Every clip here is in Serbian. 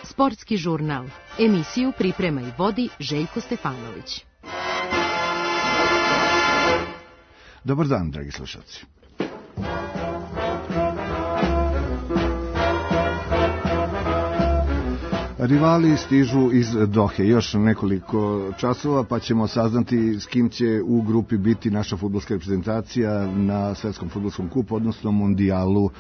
Sportski žurnal. Emisiju priprema i vodi Željko Stefanović. Dobar dan, dragi slušalci. Rivali stižu iz Dohe. Još nekoliko časova pa ćemo saznati s kim će u grupi biti naša fudbalska reprezentacija na svetskom fudbalskom kupu, odnosno mundijalu,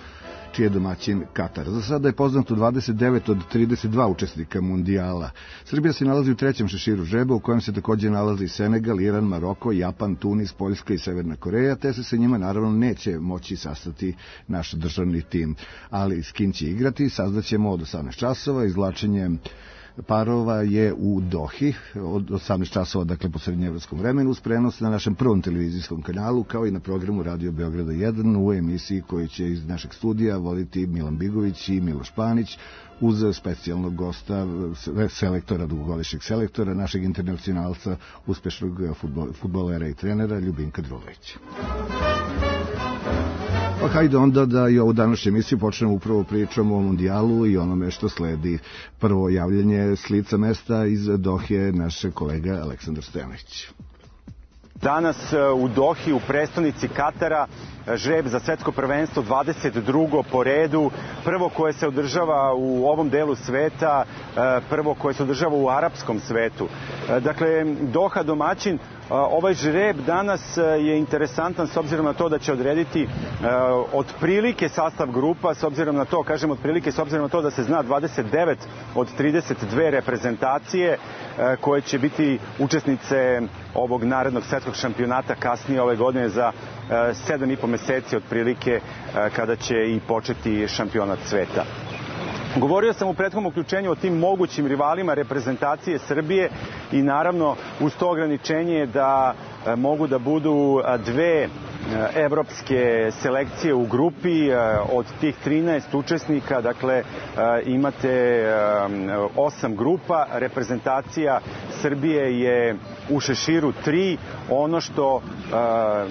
čiji je domaćin Katar. Za sada je poznato 29 od 32 učesnika mundijala. Srbija se nalazi u trećem šeširu žreba, u kojem se također nalazi Senegal, Iran, Maroko, Japan, Tunis, Poljska i Severna Koreja, te se sa njima naravno neće moći sastati naš državni tim. Ali s kim će igrati saznaćemo od 18 časova. Izvlačenje parova je u Dohi od 18 časova, dakle po srednjeevropskom vremenu, uz prenos na našem prvom televizijskom kanalu, kao i na programu Radio Beograda 1 u emisiji koju će iz našeg studija voditi Milan Bigović i Miloš Panić, uz specijalnog gosta, selektora, dugogodišnjeg selektora, našeg internacionalca, uspešnog fudbalera i trenera Ljubinka Drulovića. Pa hajde onda da i ovu današnju emisiju počnemo upravo pričom o mundijalu i onome što sledi. Prvo javljanje s lica mesta iz Dohe, naš kolega Aleksandar Stojanović. Danas u Dohi, u prestonici Katara, žreb za svetsko prvenstvo 22. po redu, prvo koje se održava u ovom delu sveta, prvo koje se održava u arapskom svetu. Dakle, Doha domaćin. Ovaj žreb danas je interesantan s obzirom na to da će odrediti otprilike sastav grupa, s obzirom na to, kažem otprilike, s obzirom na to da se zna 29 od 32 reprezentacije koje će biti učesnice ovog narednog svetskog šampionata kasnije ove godine za 7,5 meseci otprilike kada će i početi šampionat sveta. Govorio sam u prethodnom uključenju o tim mogućim rivalima reprezentacije Srbije i naravno uz to ograničenje da mogu da budu dve evropske selekcije u grupi. Od tih 13 učesnika, dakle, imate 8 grupa. Reprezentacija Srbije je u šeširu 3. Ono što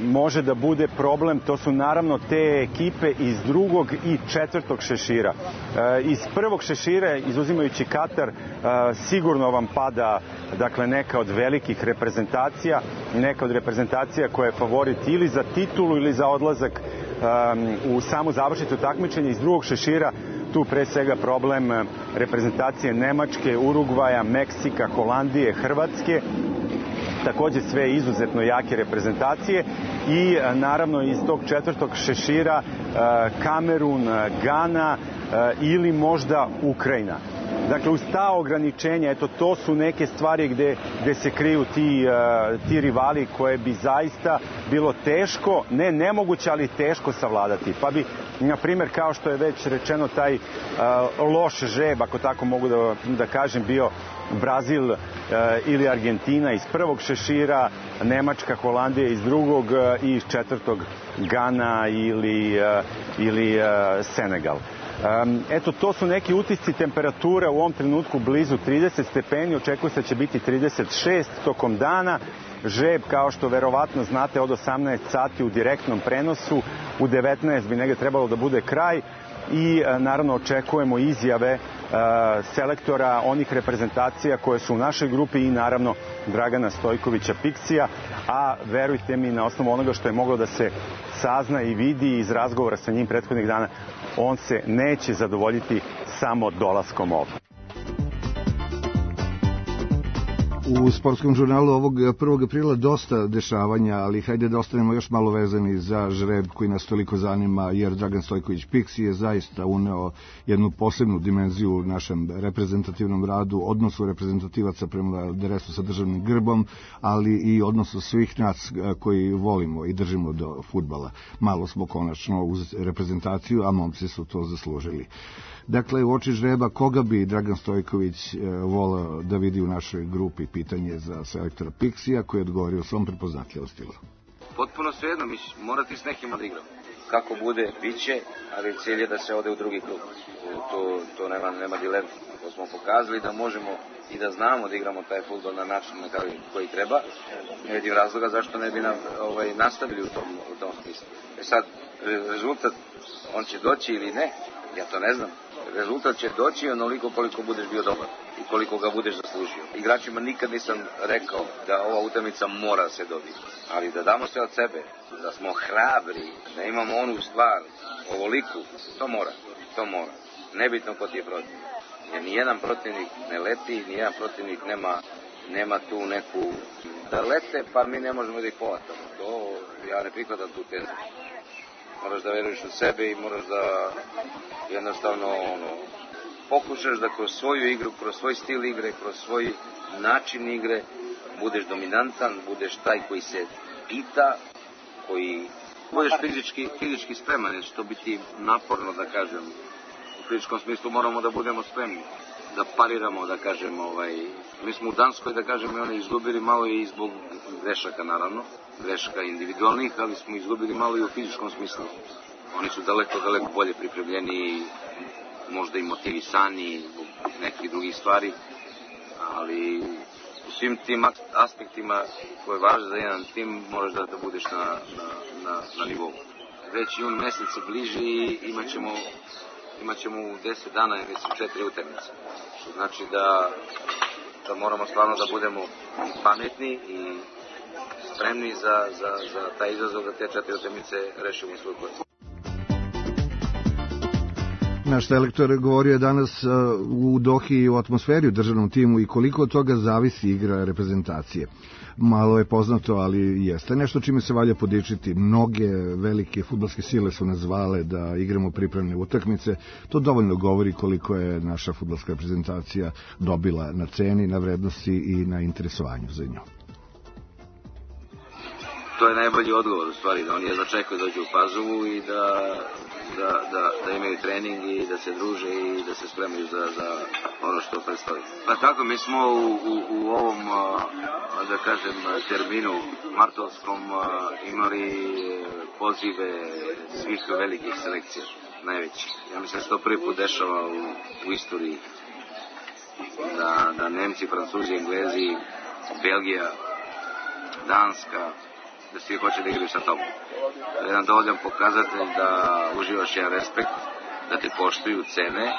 može da bude problem, to su naravno te ekipe iz drugog i četvrtog šešira. Iz prvog šešira, izuzimajući Katar, sigurno vam pada, dakle, neka od velikih reprezentacija, neka od reprezentacija koja je favorit ili za titulu ili za odlazak u samu završnicu takmičenja. Iz drugog šešira tu pre svega problem reprezentacije Nemačke, Urugvaja, Meksika, Holandije, Hrvatske. Također sve izuzetno jake reprezentacije i naravno iz tog četvrtog šešira Kamerun, Gana ili možda Ukrajina. Dakle, uz ta ograničenja, eto, to su neke stvari gde se kriju ti rivali koje bi zaista bilo teško, ne nemoguće, ali teško savladati. Pa bi, na primjer, kao što je već rečeno, taj loš žreb, ako tako mogu da kažem, bio Brazil ili Argentina iz prvog šešira, Nemačka, Holandija iz drugog i iz četvrtog Gana ili Senegal. Eto, to su neki utisci. Temperatura u ovom trenutku blizu 30 stepeni, očekuje se da će biti 36 tokom dana. Žreb, kao što verovatno znate, od 18 sati u direktnom prenosu, u 19 bi negdje trebalo da bude kraj i naravno očekujemo izjave selektora onih reprezentacija koje su u našoj grupi i naravno Dragana Stojkovića Piksija, a verujte mi, na osnovu onoga što je moglo da se sazna i vidi iz razgovora sa njim prethodnih dana, on se neće zadovoljiti samo dolaskom ovdje. U sportskom žurnalu ovog 1. aprila dosta dešavanja, ali hajde da ostanemo još malo vezani za žreb koji nas toliko zanima, jer Dragan Stojković Piksi je zaista uneo jednu posebnu dimenziju u našem reprezentativnom radu, odnosu reprezentativaca prema dresu sa državnim grbom, ali i odnosu svih nas koji volimo i držimo do fudbala. Malo smo konačno uz reprezentaciju, a momci su to zaslužili. Dakle, u oči žreba, koga bi Dragan Stojković voleo da vidi u našoj grupi? Pitanje za selektora Piksija, koji je odgovorio svom prepoznatljivom stilu. potpuno svejedno, morati s nekim da igramo. Kako bude, bit će, ali cilj je da se ode u drugi krug. To nema dilema. To smo pokazali da možemo i da znamo da igramo taj fudbal na način na koji treba. Ne vidim razloga zašto ne bi nastavili u tom smislu. Sad, rezultat, on će doći ili ne, ja to ne znam. Rezultat će doći onoliko koliko budeš bio dobar i koliko ga budeš zaslužio. Igračima nikad nisam rekao da ova utakmica mora se dobiti, ali da damo sve od sebe, da smo hrabri, da imamo onu stvar, ovoliku, to mora. Nebitno ko ti je protiv. Jer nijedan protivnik ne leti, nijedan protivnik nema tu neku da lete, pa mi ne možemo da ih povatamo. To ja ne prihvatam tu tezu. Moraš da veruješ u sebe i moraš da jednostavno pokušaš da kroz svoju igru, kroz svoj stil igre, kroz svoj način igre budeš dominantan, budeš taj koji se pita, koji budeš fizički spreman, jer će to biti naporno, da kažem. U fizičkom smislu moramo da budemo spremni, da pariramo, da kažem. Mi smo u Danskoj, da kažem, i oni izgubili malo i zbog grešaka, naravno, grešaka individualnih, ali smo izgubili malo i u fizičkom smislu. Oni su daleko bolje pripremljeni, možda i motivisani zbog nekih drugih stvari, ali u svim tim aspektima koje važe za jedan tim moraš da budeš na nivou. Već jun mesec se bliži i imat ćemo u 10 dana, mislim, 4 utakmice. Što znači da moramo stvarno da budemo pametni i spremni za taj izazov da te 4 utakmice rešimo u svoju korist. Naš selektor govorio je danas u Dohi o atmosferi u državnom timu i koliko od toga zavisi igra reprezentacije. Malo je poznato, ali jeste nešto čime se valja podičiti. Mnoge velike fudbalske sile su nas zvale da igramo pripremne utakmice. To dovoljno govori koliko je naša fudbalska reprezentacija dobila na ceni, na vrednosti i na interesovanju za nju. To je najbolji odgovor, u stvari, da oni jedva čekaju dođu u Pazovu i da imaju trening i da se druže i da se spremaju za ono što predstavi. Pa tako, mi smo u ovom, da kažem, terminu martovskom imali pozive svih velikih selekcija, najveći. Ja mislim da se to prvi put dešava u istoriji, da Nemci, Francuzi, Englezi, Belgija, Danska, da svi hoće da igraju sa tobom. To je jedan dovoljan pokazatelj da uživaš jedan respekt, da te poštuju, cene,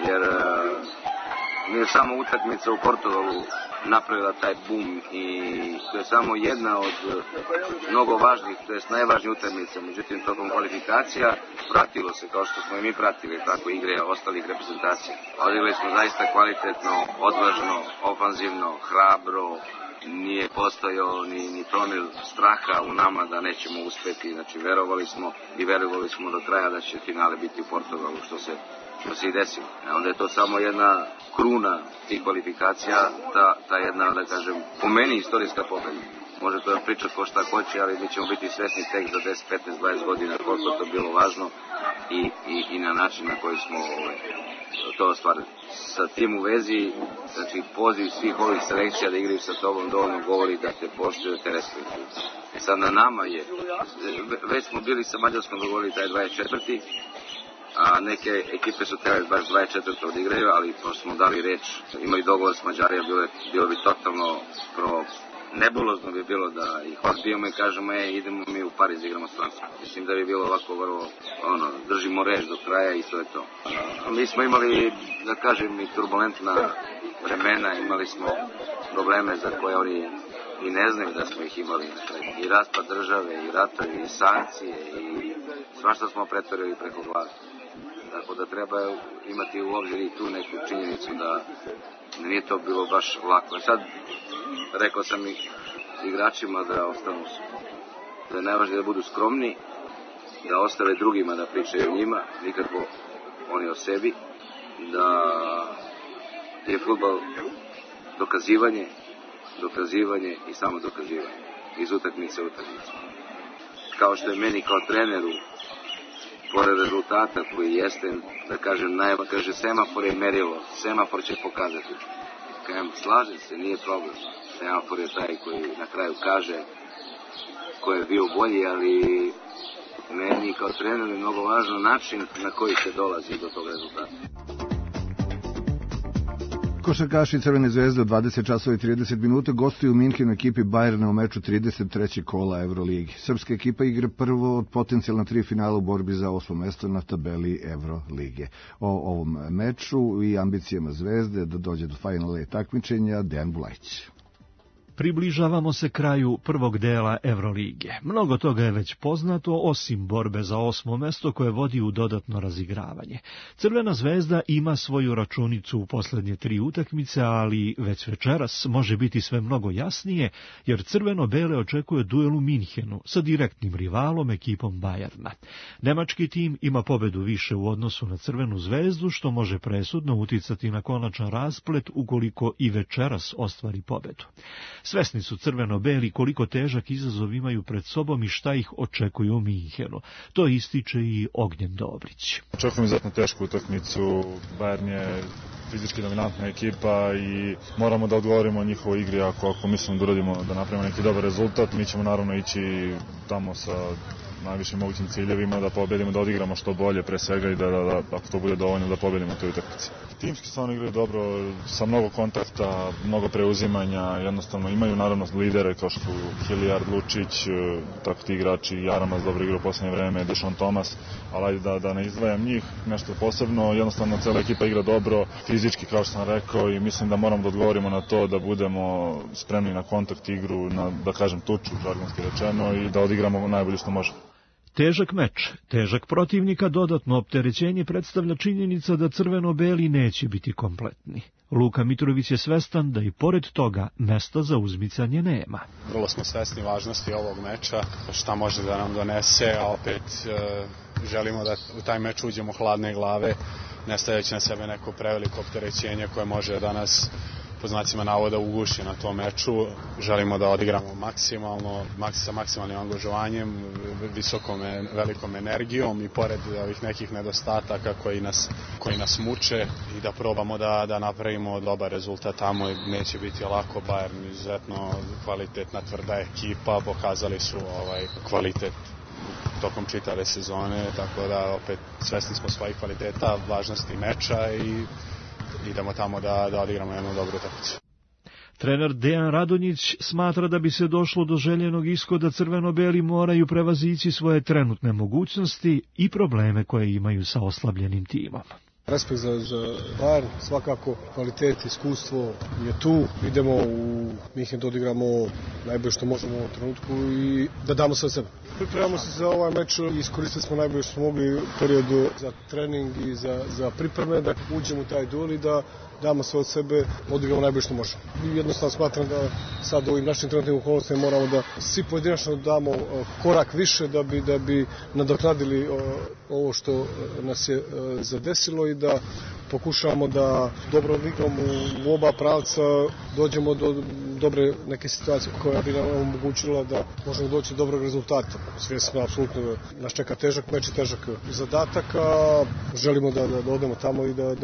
jer nije samo utakmica u Portugalu napravila taj bum i to je samo jedna od mnogo važnih, to je najvažnija utakmica. Međutim, tokom kvalifikacija pratilo se, kao što smo i mi pratili, tako igre ostalih reprezentacija. Odigrali smo zaista kvalitetno, odvažno, ofanzivno, hrabro, nije postojao ni promil straha u nama da nećemo uspeti. Znači, verovali smo do kraja da će finale biti u Portugalu, što se i desilo. Onda je to samo jedna kruna tih kvalifikacija, ta jedna, da kažem, po meni istorijska pobeda. Može to da priča ko šta hoće, ali mi ćemo biti svesni tek za 10, 15, 20 godina koliko to bilo važno i na način na koji smo to ostvarili. Sa tim u vezi, znači poziv svih ovih selekcija da igraju sa tobom dovoljno govori da te poštuju, da te respektuju. Sad na nama je, već smo bili sa Mađarskom dogovorili taj 24. A neke ekipe su trebali baš 24. odigraju, ali pošto smo dali reč, imali dogovor s Mađarija, bilo bi totalno nebulozno bi bilo da ih odbijemo i kažemo idemo mi u Pariz igramo s Francuskom. Mislim da bi bilo ovako vrlo, držimo reč do kraja i to je to. Mi smo imali, da kažem, i turbulentna vremena, imali smo probleme za koje oni i ne znaju da smo ih imali. I raspad države, i ratovi, i sankcije, i svašta smo pretvorili preko glave. Tako da treba imati u obzir i tu neku činjenicu da nije to bilo baš lako. Sad, rekao sam i igračima da ostanu, da je najvažnije da budu skromni, da ostave drugima da pričaju o njima, nikako oni o sebi, da je fudbal dokazivanje i samo dokazivanje, iz utakmice u utakmicu. Kao što je meni kao treneru, pored rezultata koji jeste, da kažem, kaže semafor je merilo, semafor će pokazati. Kažem, slažem se, nije problem. Semafor je taj koji na kraju kaže ko je bio bolji, ali meni kao trener je mnogo važno način na koji se dolazi do tog rezultata. Košarkaši Crvene zvezde od 20 časova i 30 minuta gostuju u Minhenu ekipi Bayerna u meču 33. kola Euroligi. Srpska ekipa igra prvo od potencijalna 3 finala u borbi za 8. mesto na tabeli Eurolige. O ovom meču i ambicijama zvezde da dođe do finala takmičenja Dejan Bulajić. Približavamo se kraju prvog dela Evrolige. Mnogo toga je već poznato, osim borbe za 8. mesto koje vodi u dodatno razigravanje. Crvena zvezda ima svoju računicu u posljednje 3 utakmice, ali već večeras može biti sve mnogo jasnije, jer crveno-bele očekuje duel u Minhenu sa direktnim rivalom ekipom Bayerna. Nemački tim ima pobedu više u odnosu na Crvenu zvezdu, što može presudno uticati na konačan rasplet ukoliko i večeras ostvari pobedu. Svesni su crveno-beli koliko težak izazov imaju pred sobom i šta ih očekuju u Minhenu. To ističe i Ognjen Dobrić. Očekujem izuzetno tešku utakmicu. Bayern je fizički dominantna ekipa i moramo da odgovorimo njihovoj igri ako mislimo da uradimo, da napravimo neki dobar rezultat. Mi ćemo naravno ići tamo sa najvišim mogućim ciljevima, da pobedimo, da odigramo što bolje pre svega i da ako to bude dovoljno da pobedimo toj utakmici. Timski stvarno igraju dobro, sa mnogo kontakta, mnogo preuzimanja, jednostavno imaju naravno lidere kao što su Hilliard, Lučić, tako ti igrači, Jaramas dobro igra u posljednje vreme, Dušan Tomas, ali da ne izdvajam njih, nešto posebno, jednostavno cela ekipa igra dobro, fizički kao što sam rekao i mislim da moramo da odgovorimo na to, da budemo spremni na kontakt igru, na, da kažem tuču, žargonski rečeno, i da odigramo najbolje što možemo. Težak meč, težak protivnika, dodatno opterećenje predstavlja činjenica da crveno-beli neće biti kompletni. Luka Mitrović je svestan da i pored toga mesta za uzmicanje nema. Vrlo smo svesni važnosti ovog meča, šta može da nam donese, a opet želimo da u taj meč uđemo hladne glave, ne stavljajući na sebe neko preveliko opterećenje koje može da nas po znacima navoda uguši na tom meču. Želimo da odigramo maksimalno, sa maksimalnim angažovanjem, velikom energijom i pored ovih nekih nedostataka koji nas muče i da probamo da napravimo dobar rezultat tamo. Neće biti lako, Bayern izuzetno kvalitetna, tvrda ekipa, pokazali su kvalitet tokom čitave sezone, tako da opet svesni smo svojih kvaliteta, važnosti meča i idemo tamo da odigramo jednu dobru utakmicu. Trener Dejan Radonjić smatra da bi se došlo do željenog ishoda crveno-beli moraju prevazići svoje trenutne mogućnosti i probleme koje imaju sa oslabljenim timom. Respekt za Bayern, svakako kvalitet, iskustvo je tu. Idemo u Minhen da odigramo najbolje što možemo u ovom trenutku i da damo sve od sebe. Pripremamo se za ovaj meč i iskoristili smo najbolje što smo mogli u periodu za trening i za pripreme, da uđemo u taj duel i da damo sve od sebe, odigramo najbolje što možemo. I jednostavno smatram da sad u ovim našim trenutnim okolnostima moramo da svi pojedinačno damo korak više da bi nadoknadili ovo što nas je zadesilo i da pokušavamo da dobro igramo u oba pravca, dođemo do dobre neke situacije koja bi nam omogućila da možemo doći do dobrog rezultata. Svjesno, apsolutno nas čeka težak meč i težak zadatak, a želimo da odemo tamo i da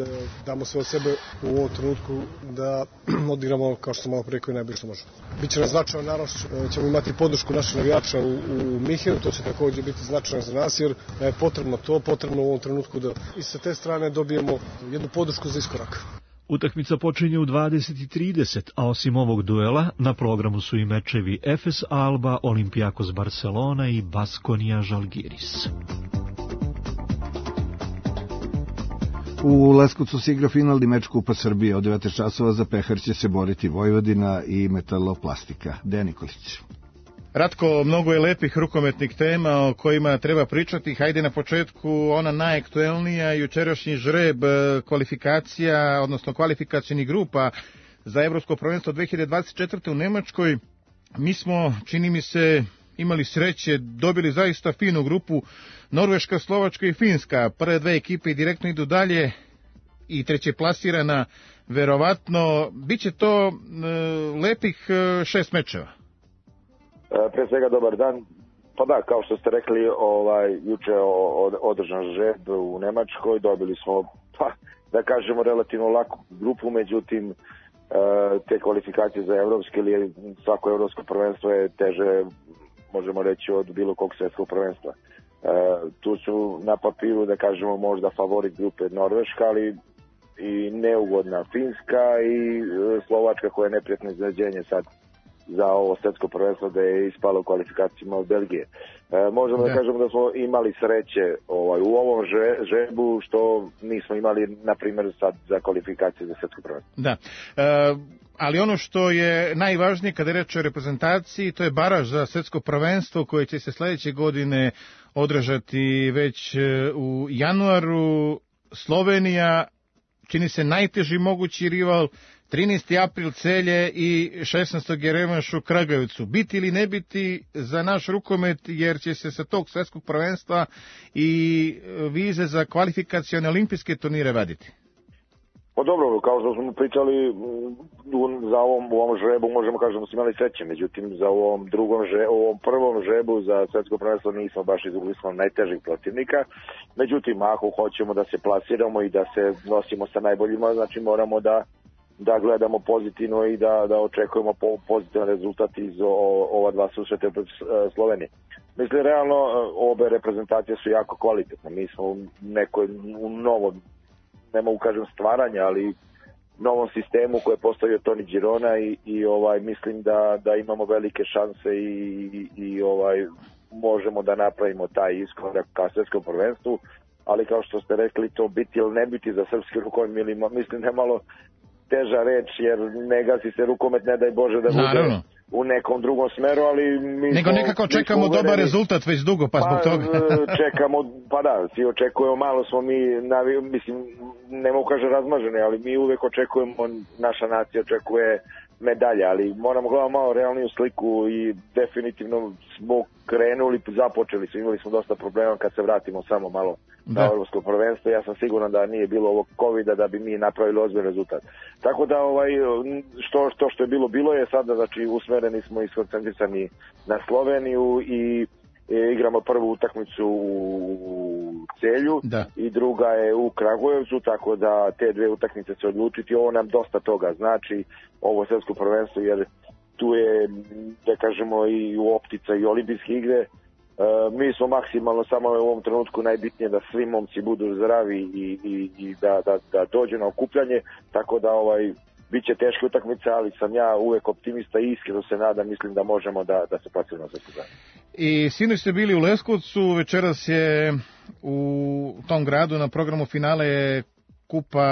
damo sve od sebe u ovom trenutku, da odigramo, kao što sam malo rekao, najbolje što možemo. Biće nam značajno, naravno ćemo imati podršku naših navijača u Minhenu, to će također biti značajno za nas, jer je potrebno u ovom trenutku da i sa te strane dobijemo jednu podršku za iskorak. Utakmica počinje u 20:30, a osim ovog duela na programu su i mečevi Efes Alba, Olympiakos Barcelona i Baskonia Žalgiris. U Leskovcu se igra finalni meč Kupa Srbije. Od 19 časova za pehar će se boriti Vojvodina i Metaloplastika. Dejan Nikolić. Ratko, mnogo je lepih rukometnih tema o kojima treba pričati. Hajde na početku ona najaktuelnija, jučerašnji žreb kvalifikacija, odnosno kvalifikacijnih grupa za Evropsko prvenstvo 2024. u Nemačkoj. Mi smo, čini mi se, imali sreće, dobili zaista finu grupu, Norveška, Slovačka i Finska. Prve dve ekipe direktno idu dalje i treće plasirana, verovatno. Biće to lepih 6 mečeva. Pre svega dobar dan. Pa da, kao što ste rekli, juče održan žreb u Nemačkoj, dobili smo, da kažemo, relativno laku grupu, međutim te kvalifikacije za evropske ili svako evropsko prvenstvo je teže možemo reći, od bilo kog svetskog prvenstva. Tu su na papiru, da kažemo, možda favorit grupe Norveška, ali i neugodna Finska i Slovačka koja je neprijatno iznenađenje sad za ovo svetsko prvenstvo da je ispalo u kvalifikacijama od Belgije. Možemo da kažemo da smo imali sreće u ovom žrebu što nismo imali, na primjer, sad za kvalifikacije za svetsko prvenstvo. Da. Ali ono što je najvažnije kada je reč o reprezentaciji, to je baraž za svetsko prvenstvo koje će se sledeće godine održati već u januaru. Slovenija čini se najteži mogući rival, 13. april Celje i 16. je revanš u Kragujevcu. Biti ili ne biti za naš rukomet, jer će se sa tog svetskog prvenstva i vize za kvalifikacione olimpijske turnire vaditi? Pa dobro, kao što smo pričali, za u ovom žrebu možemo kažemo da smo imali sreće, međutim za ovom prvom žrebu za svetsko prvenstvo nismo baš izgubili smo najtežih protivnika, međutim ako hoćemo da se plasiramo i da se nosimo sa najboljima, znači moramo da gledamo pozitivno i da očekujemo pozitivan rezultat iz ova dva susreta protiv Slovenije. Mislim, realno, obe reprezentacije su jako kvalitetne. Mi smo u novom, ne mogu kažem stvaranja, ali novom sistemu koje je postavio Toni Girona i mislim da imamo velike šanse i možemo da napravimo taj iskorak ka svetskom prvenstvu, ali kao što ste rekli, to biti ili ne biti za srpski rukomet, mislim da je malo teža reč, jer ne gasi se rukomet, ne daj Bože da bude u nekom drugom smeru, ali nego nekako čekamo dobar rezultat već dugo, pa zbog toga. Čekamo, pa da, svi očekujemo, malo smo mi, mislim, ne mogu kažem razmaženi, ali mi uvek očekujemo, naša nacija očekuje medalje, ali moramo gledati malo realniju sliku i definitivno smo krenuli, započeli smo, imali smo dosta problema kad se vratimo samo malo na evropsko prvenstvo. Ja sam siguran da nije bilo ovog COVID-a da bi mi napravili ozbiljan rezultat. Tako da što je bilo je sada, znači usmereni smo i skoncentrisani na Sloveniju i igramo prvu utakmicu u Celju i druga je u Kragujevcu, tako da te dve utakmice će odlučiti. Ovo nam dosta toga znači, ovo svetsko prvenstvo, jer tu je, da kažemo, i u optica i olimpijske igre. Mi smo maksimalno, samo u ovom trenutku najbitnije da svi momci budu zdravi i da dođu na okupljanje, tako da biće teške utakmice, ali sam ja uvek optimista i iskreno se nadam, mislim da možemo da se plasimo na svetsko prvenstvo. I sinoć ste bili u Leskovcu, večeras je u tom gradu na programu finale Kupa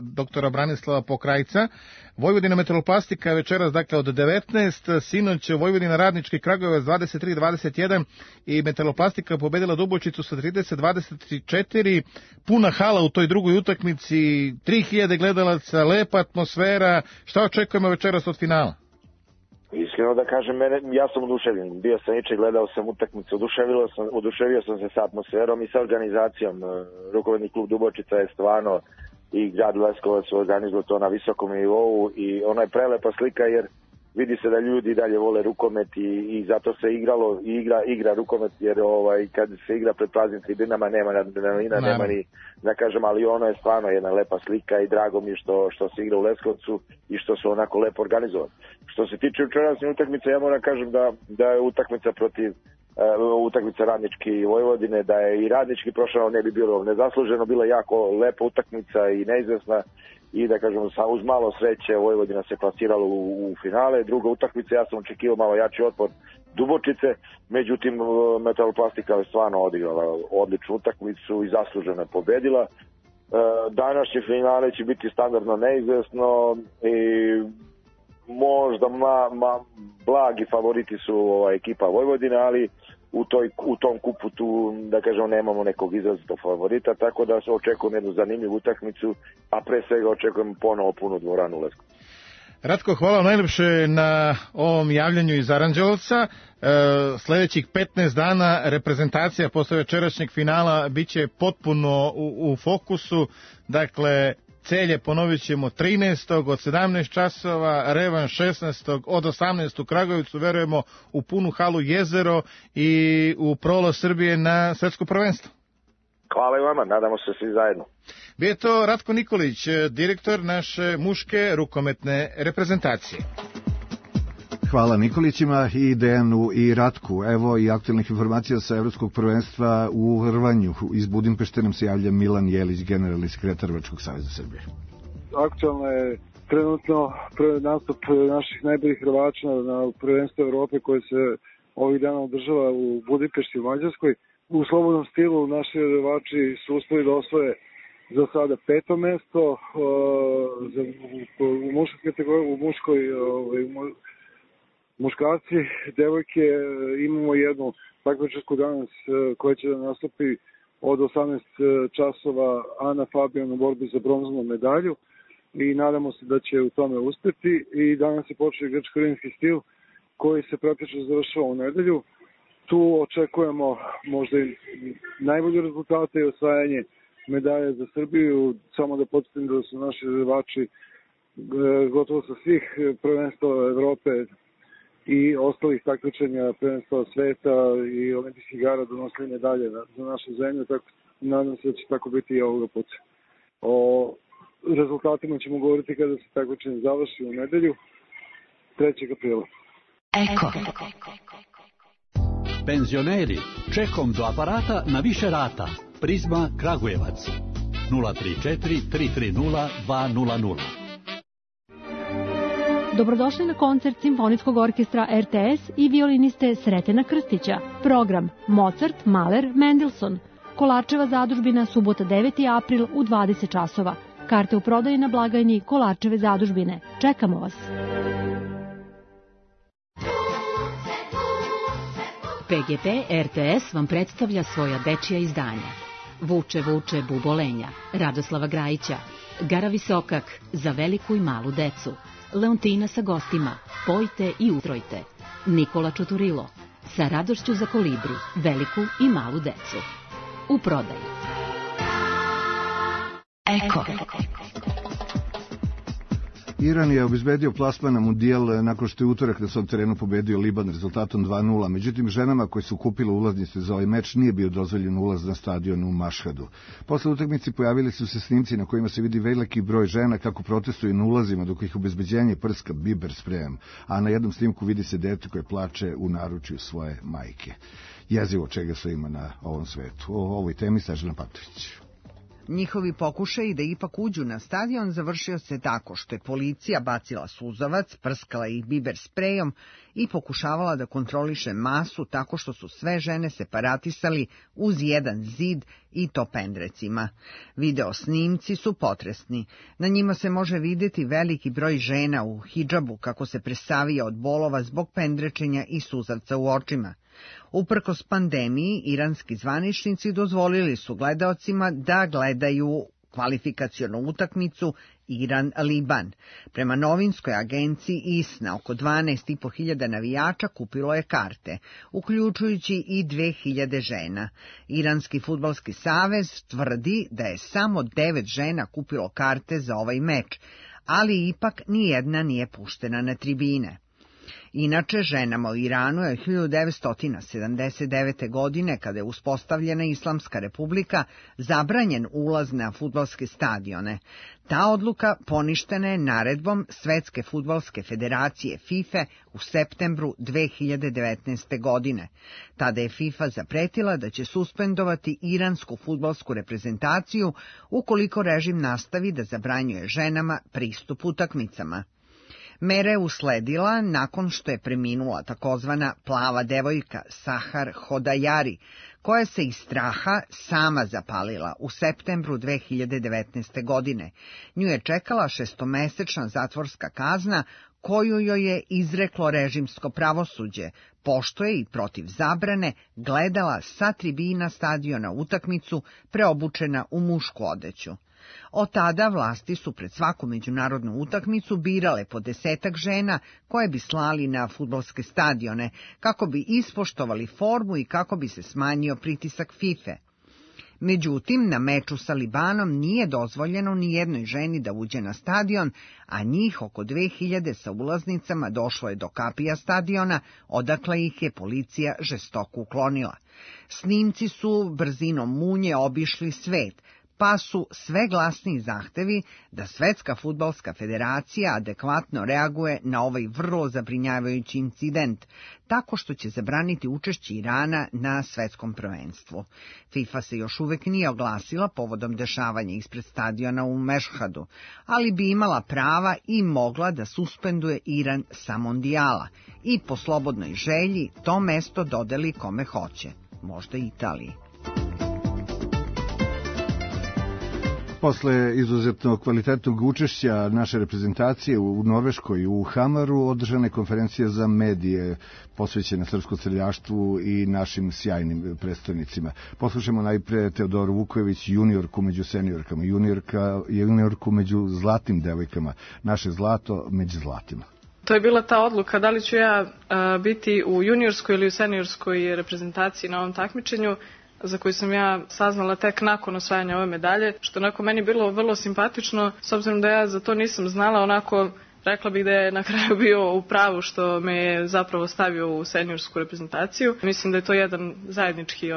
doktora Branislava Pokrajca. Vojvodina Metaloplastika večeras, dakle, od 19, sinoć Vojvodina Radnički Kragujevac 23-21 i Metaloplastika pobedila Dubočicu sa 30-24. Puna hala u toj drugoj utakmici, 3000 gledalaca, lepa atmosfera. Šta očekujemo večeras od finala? Iskreno da kažem, ja sam oduševljen. Bio sam juče, gledao sam utakmicu, oduševio sam se sa atmosferom i sa organizacijom. Rukometni klub Dubočica je stvarno i grad Leskovac organizuje to na visokom nivou i ona je prelepa slika, jer vidi se da ljudi dalje vole rukomet i zato se igra rukomet, jer kad se igra pred praznim tribinama nema adrenalina, nema ni, da kažem, ali ono je stvarno jedna lepa slika i drago mi je što se igra u Leskovcu i što su onako lepo organizovani. Što se tiče večerašnje utakmice, ja moram kažem da je utakmica Radnički i Vojvodine, da je i Radnički prošao, ne bi bilo nezasluženo, bila jako lepa utakmica i neizvesna i da kažem uz malo sreće Vojvodina se plasirala u finale. Druga utakmica, ja sam očekivao malo jači otpor Dubočice, međutim Metaloplastika je stvarno odigrala odličnu utakmicu i zasluženo je pobedila. Današnje finale će biti standardno neizvesno i možda blagi favoriti su ekipa Vojvodine, ali u tom kupu tu, da kažem, nemamo nekog izrazitog favorita, tako da se očekujem jednu zanimljivu utakmicu, a pre svega očekujem ponovo punu dvoranu u Leskovcu. Ratko, hvala najlepše na ovom javljanju iz Aranđelovca. Sledećih 15 dana reprezentacija posle večerašnjeg finala biće potpuno u fokusu. Dakle, Celje ponovit ćemo 13. od 17 časova, revanš 16. od 18. u Kragujevcu, verujemo u punu halu Jezero i u prolaz Srbije na svetsko prvenstvo. Hvala i vama, nadamo se svi zajedno. Bio je to Ratko Nikolić, direktor naše muške rukometne reprezentacije. Hvala Nikolićima i Dejanu i Ratku. Evo i aktualnih informacija sa Evropskog prvenstva u rvanju. Iz Budimpešte nam se javlja Milan Jelić, generalni sekretar Rvačkog saveza Srbije. Aktualno je trenutno nastup naših najboljih rvača na prvenstvu Evrope koje se ovih dana održava u Budimpešti u Mađarskoj. U slobodnom stilu naši rvači su uspeli da osvoje za sada 5. mesto, u muškoj kategoriji, muškarci, devojke imamo jednu takmičarsku danas koja će da nastupi od 18 časova Ana Fabijan u borbi za bronzanu medalju i nadamo se da će u tome uspeti. I danas je počeo grčko-rimski stil koji se praktično završava u nedelju. Tu očekujemo možda i najbolje rezultate i osvajanje medalje za Srbiju. Samo da podsjetim da su naši rvači gotovo sa svih prvenstava Evrope i ostalih takmičenja prvenstva sveta i olimpijskih igara donosili medalje za našu zemlju, tako nadam se da će tako biti i ovoga puta. O rezultatima ćemo govoriti kada se takmičenje završi u nedelju 3. aprila. Eko. Penzioneri, čekom do aparata na više rata. Prizma Kragujevac 034 330 200. Dobrodošli na koncert Simfonijskog orkestra RTS i violiniste Sretena Krstića. Program Mozart, Mahler, Mendelssohn. Kolarčeva zadužbina, subota 9. april u 20 časova. Karte u prodaji na blagajni Kolarčeve zadužbine. Čekamo vas. PGP RTS vam predstavlja svoja dečija izdanja. Vuče, vuče, bubolenja, Radoslava Grajića, Gara Visokak, za veliku i malu decu, Leontina sa gostima, Pojte i utrojte, Nikola Čuturilo, sa radošću za kolibri, veliku i malu decu. U prodaji. Eko. Iran je obezbedio plasman na mundijal nakon što je utorak na svom terenu pobedio Liban rezultatom 2:0. Međutim, ženama koje su kupile ulaznice za ovaj meč nije bio dozvoljen ulaz na stadion u Mašhadu. Posle utakmice pojavili su se snimci na kojima se vidi veliki broj žena kako protestuju na ulazima dok ih obezbeđenje prska biber sprejom, a na jednom snimku vidi se dete koje plače u naručju svoje majke. Jezivo čega sve ima na ovom svetu. O ovoj temi Snežana Patović. Njihovi pokušaji da ipak uđu na stadion završio se tako što je policija bacila suzavac, prskala ih biber sprejom i pokušavala da kontroliše masu tako što su sve žene separatisali uz jedan zid i to pendrecima. Video snimci su potresni. Na njima se može videti veliki broj žena u hidžabu kako se presavija od bolova zbog pendrečenja i suzavca u očima. Uprkos pandemiji, iranski zvaničnici dozvolili su gledaocima da gledaju kvalifikacionu utakmicu Iran-Liban. Prema novinskoj agenciji ISNA, oko 12.500 navijača kupilo je karte, uključujući i 2000 žena. Iranski fudbalski savez tvrdi da je samo 9 žena kupilo karte za ovaj meč, ali ipak nijedna nije puštena na tribine. Inače, ženama u Iranu je 1979. godine, kada je uspostavljena Islamska republika, zabranjen ulaz na fudbalske stadione. Ta odluka poništena je naredbom Svetske fudbalske federacije FIFA u septembru 2019. godine. Tada je FIFA zapretila da će suspendovati iransku fudbalsku reprezentaciju ukoliko režim nastavi da zabranjuje ženama pristup utakmicama. Mera je usledila nakon što je preminula takozvana plava devojka Sahar Hodajari, koja se iz straha sama zapalila u septembru 2019. godine. Nju je čekala 6-mesečna zatvorska kazna koju joj je izreklo režimsko pravosuđe, pošto je i protiv zabrane gledala sa tribina stadiona utakmicu preobučena u mušku odeću. Od tada vlasti su pred svaku međunarodnu utakmicu birale po 10 žena koje bi slali na fudbalske stadione, kako bi ispoštovali formu i kako bi se smanjio pritisak FIFA. Međutim, na meču sa Libanom nije dozvoljeno ni jednoj ženi da uđe na stadion, a njih oko 2000 sa ulaznicama došlo je do kapija stadiona, odakle ih je policija žestoko uklonila. Snimci su brzinom munje obišli svet. pa su sve glasniji zahtevi da Svetska fudbalska federacija adekvatno reaguje na ovaj vrlo zabrinjavajući incident, tako što će zabraniti učešće Irana na svetskom prvenstvu. FIFA se još uvek nije oglasila povodom dešavanja ispred stadiona u Mešhadu, ali bi imala prava i mogla da suspenduje Iran sa mondijala i po slobodnoj želji to mesto dodeli kome hoće, možda Italiji. Posle izuzetno kvalitetnog učešća naše reprezentacije u Norveškoj u Hamaru održana je konferencija za medije posvećena srpskom streljaštvu i našim sjajnim predstavnicima. Poslušajmo najpre Teodoru Vukojević, juniorku među seniorkama, juniorku među zlatnim devojkama, naše zlato među zlatima. To je bila ta odluka da li ću ja biti u juniorskoj ili u seniorskoj reprezentaciji na ovom takmičenju, za koju sam ja saznala tek nakon osvajanja ove medalje, što onako meni bilo vrlo simpatično, s obzirom da ja za to nisam znala, onako rekla bih da je na kraju bio u pravu što me je zapravo stavio u seniorsku reprezentaciju. Mislim da je to jedan zajednički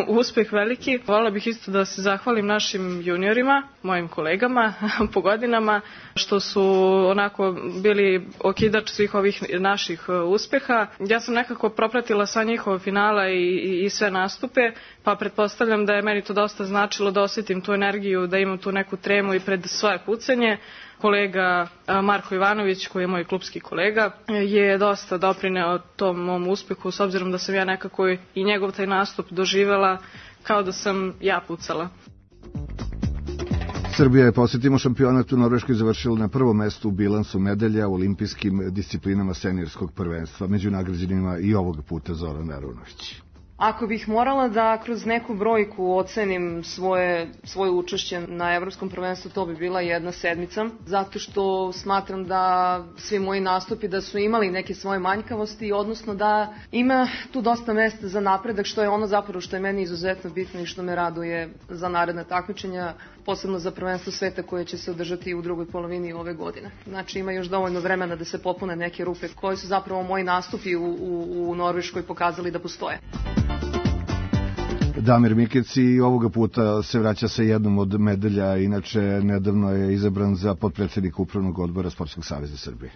uspeh veliki. Voljela bih isto da se zahvalim našim juniorima, mojim kolegama po godinama, što su onako bili okidač svih ovih naših uspeha. Ja sam nekako propratila sva njihova finala i sve nastupe, pa pretpostavljam da je meni to dosta značilo da osjetim tu energiju, da imam tu neku tremu i pred svoje pucanje. Kolega Marko Ivanović, koji je moj klubski kolega, je dosta doprineo tom mom uspehu, s obzirom da sam ja nekako i njegov taj nastup doživela kao da sam ja pucala. Srbija je, posjetimo, šampionat u Norveškoj završila na prvom mestu u bilansu medalja u olimpijskim disciplinama seniorskog prvenstva. Među nagrađenima i ovog puta Zoran Arunović. Ako bih morala da kroz neku brojku ocenim svoje učešće na evropskom prvenstvu, to bi bila 1/7, zato što smatram da svi moji nastupi da su imali neke svoje manjkavosti, odnosno da ima tu dosta mesta za napredak, što je ono zapravo što je meni izuzetno bitno i što me raduje za naredna takmičenja, posebno za prvenstvo sveta koje će se održati u drugoj polovini ove godine. Znači ima još dovoljno vremena da se popune neke rupe koje su zapravo moji nastupi u Norveškoj pokazali da postoje. Damir Mikec i ovoga puta se vraća sa jednom od medalja, inače nedavno je izabran za potpredsjednika Upravnog odbora Sportskog saveza Srbije.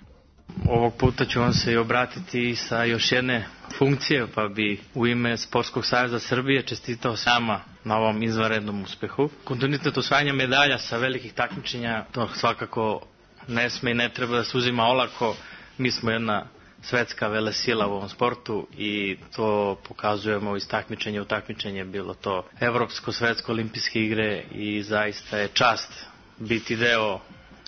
Ovog puta ću vam se i obratiti sa još jedne funkcije, pa bi u ime Sportskog saveza Srbije čestitao sama na ovom izvanrednom uspehu. Kontinuitet osvajanja medalja sa velikih takmičenja, to svakako ne sme i ne treba da se uzima olako. Mi smo jedna svetska velesila u ovom sportu i to pokazujemo iz takmičenja u takmičenje, bilo to evropsko, svetsko, olimpijske igre, i zaista je čast biti deo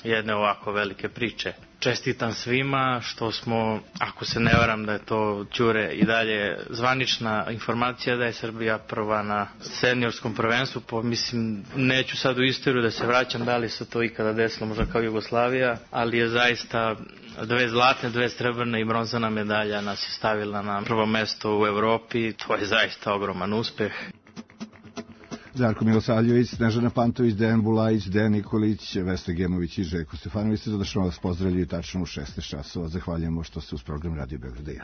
jedne ovako velike priče. Čestitam svima što smo, ako se ne varam da je to Ćure i dalje zvanična informacija da je Srbija prva na seniorskom prvenstvu, mislim, neću sad u istoriju da se vraćam da li se to ikada desilo, možda kao Jugoslavija, ali je zaista 2 zlatne, 2 srebrne i bronzana medalja nas je stavila na prvo mesto u Evropi. To je zaista ogroman uspeh. Darko Milosavljević, Snežana Pantović, Dejan Bulajić, Dejan Nikolić, Vesna Gemović i Željko Stefanović. Zadošno vas pozdravljaju tačno u 16 časova. Zahvaljujemo što ste uz program Radio Beograda 1.